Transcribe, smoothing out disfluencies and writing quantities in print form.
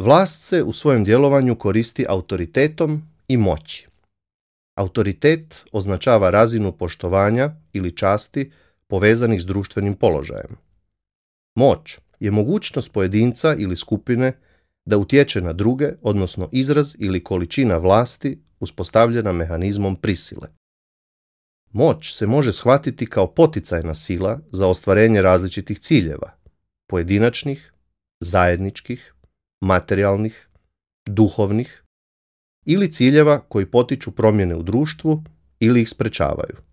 Vlast se u svojem djelovanju koristi autoritetom i moći. Autoritet označava razinu poštovanja ili časti povezanih s društvenim položajem. Moć je mogućnost pojedinca ili skupine da utječe na druge, odnosno izraz ili količina vlasti uspostavljena mehanizmom prisile. Moć se može shvatiti kao poticajna sila za ostvarenje različitih ciljeva, pojedinačnih, zajedničkih, materijalnih, duhovnih ili ciljeva koji potiču promjene u društvu ili ih sprečavaju.